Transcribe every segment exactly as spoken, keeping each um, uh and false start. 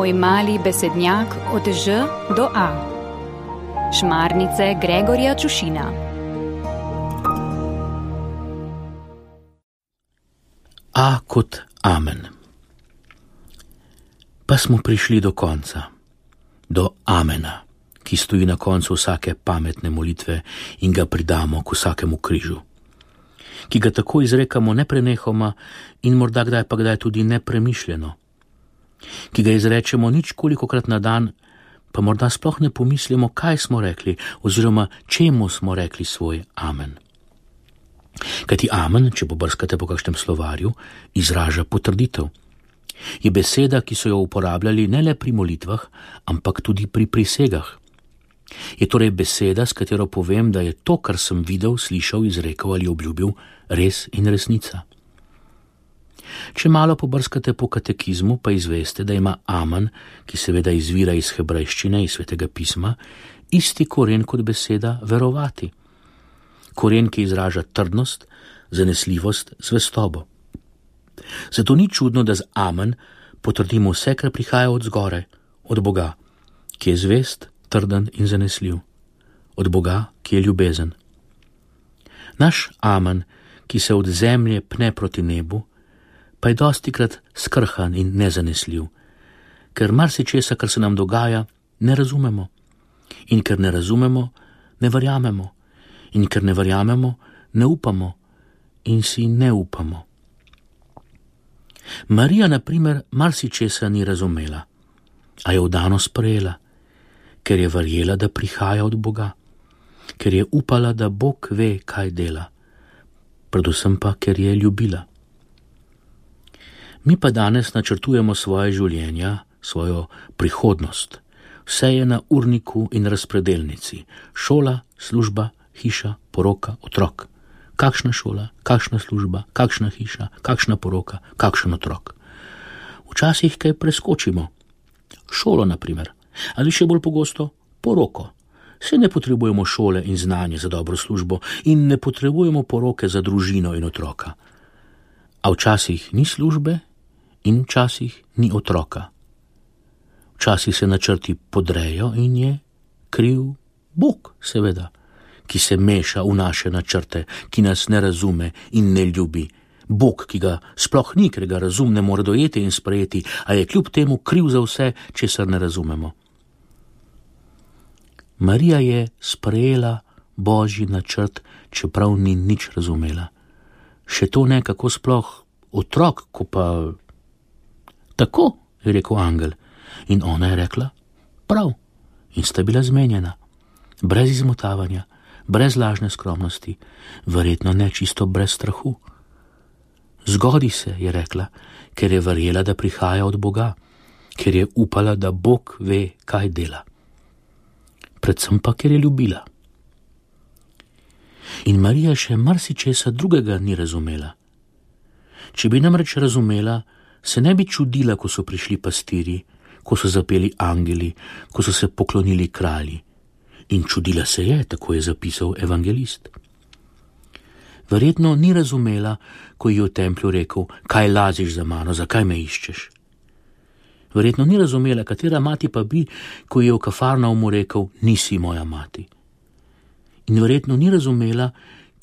Moj mali besednjak od Ž do A. Šmarnice Gregorja Čušina. A kot amen. Pa smo prišli do konca, do amena, ki stoji na koncu vsake pametne molitve in ga pridamo k vsakemu križu, ki ga tako izrekamo neprenehoma in morda kdaj pa kdaj tudi nepremišljeno, ki ga izrečemo ničkolikokrat na dan, pa morda sploh ne pomislimo, kaj smo rekli oziroma čemu smo rekli svoj amen. Kajti amen, če pobrskate po kakšnem slovarju, izraža potrditev. Je beseda, ki so jo uporabljali ne le pri molitvah, ampak tudi pri prisegah. Je torej beseda, s katero povem, da je to, kar sem videl, slišal, izrekel ali obljubil, res in resnica. Če malo pobrskate po katekizmu, pa izveste, da ima amen, ki seveda izvira iz hebrejščine, iz svetega pisma, isti koren kot beseda verovati. Koren, ki izraža trdnost, zanesljivost, zvestobo. Zato ni čudno, da z amen potrdimo vse, kar prihaja od zgoraj, od Boga, ki je zvest, trden in zanesljiv, od Boga, ki je ljubezen. Naš amen, ki se od zemlje pne proti nebu, pa je dostikrat skrhan in nezanesljiv, ker marsičesa, kar se nam dogaja, ne razumemo. In ker ne razumemo, ne verjamemo. In ker ne verjamemo, ne upamo in si ne upamo. Marija, na primer, marsičesa ni razumela, a je vdano sprejela, ker je verjela, da prihaja od Boga, ker je upala, da Bog ve, kaj dela, predvsem pa, ker je ljubila. Mi pa danes načrtujemo svoje življenja, svojo prihodnost. Vse je na urniku in razpredelnici. Šola, služba, hiša, poroka, otrok. Kakšna šola, kakšna služba, kakšna hiša, kakšna poroka, kakšen otrok. Včasih kaj preskočimo. Šolo, na primer, ali še bolj pogosto poroko. Se ne potrebujemo šole in znanje za dobro službo in ne potrebujemo poroke za družino in otroka. A včasih ni službe in včasih ni otroka. Včasih se načrti podrejo in je kriv Bog, seveda, ki se meša v naše načrte, ki nas ne razume in ne ljubi. Bog, ki ga sploh ni, ker ga razum ne more dojeti in sprejeti, a je kljub temu kriv za vse, česar ne razumemo. Marija je sprejela Božji načrt, čeprav ni nič razumela. Še to ne, kako sploh otrok, ko pa... Tako, je rekel angel, in ona je rekla, prav, in sta bila zmenjena, brez izmotavanja, brez lažne skromnosti, verjetno ne čisto brez strahu. Zgodi se, je rekla, ker je verjela, da prihaja od Boga, ker je upala, da Bog ve, kaj dela. Predvsem pa, ker je ljubila. In Marija še marsičesa drugega ni razumela. Če bi namreč razumela, se ne bi čudila, ko so prišli pastiri, ko so zapeli angeli, ko so se poklonili kralji. In čudila se je, tako je zapisal evangelist. Verjetno ni razumela, ko ji je v templju rekel, kaj laziš za mano, zakaj me iščeš. Verjetno ni razumela, katera mati pa bi, ko ji je v Kafarnaumu rekel, nisi moja mati. In verjetno ni razumela,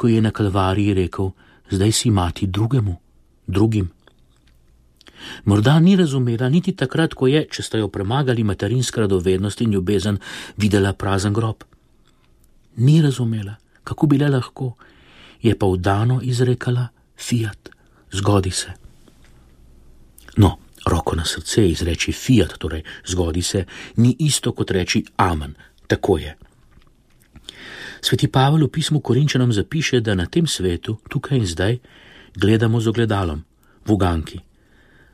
ko ji je na Kalvariji rekel, zdaj si mati drugemu, drugim. Morda ni razumela niti takrat, ko je, če sta jo premagali materinska radovednost in ljubezen, videla prazen grob. Ni razumela, kako bi le lahko, je pa vdano izrekala fiat, zgodi se. No, roko na srce izreči fiat, torej zgodi se, ni isto kot reči amen, tako je. Sveti Pavel v pismu Korinčanom zapiše, da na tem svetu, tukaj in zdaj, gledamo z ogledalom, v uganki.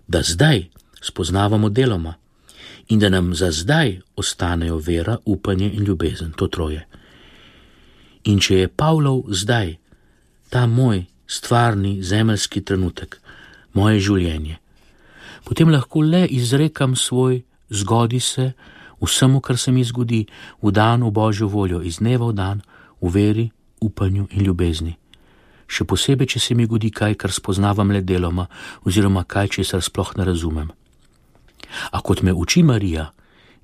Da zdaj spoznavamo deloma in da nam za zdaj ostanejo vera, upanje in ljubezen, to troje. In če je Pavlov zdaj, ta moj stvarni zemeljski trenutek, moje življenje, potem lahko le izrekam svoj zgodi se vsemu, kar se mi zgodi, v dan v Božjo voljo, iz dneva v dan, v veri, upanju in ljubezni. Še posebej, če se mi godi kaj, kar spoznavam le deloma, oziroma kaj, česar sploh ne razumem. A kot me uči Marija,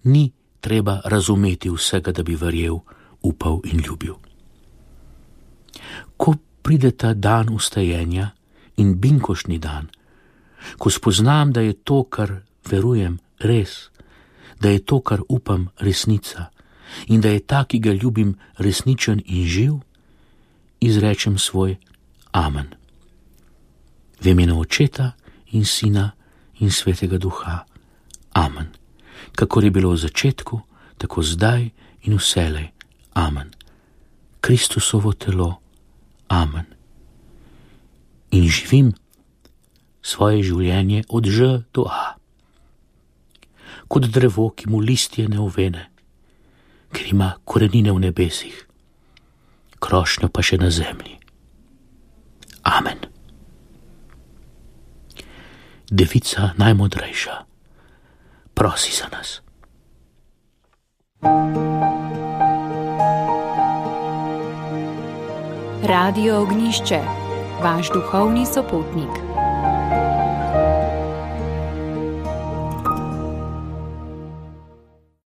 ni treba razumeti vsega, da bi verjel, upal in ljubil. Ko pride ta dan vstajenja in binkošni dan, ko spoznam, da je to, kar verujem, res, da je to, kar upam, resnica in da je ta, ki ga ljubim, resničen in živ, izrečem svoj amen. V imenu Očeta in Sina in Svetega Duha. Amen. Kakor je bilo v začetku, tako zdaj in vselej. Amen. Kristusovo telo. Amen. In živim svoje življenje od Ž do A. Kot drevo, ki mu listje ne ovene, ker ima korenine v nebesih, krošnjo pa še na zemlji. Amen. Devica najmodrejša, prosi za nas. Radio Ognišče, vaš duhovni sopotnik.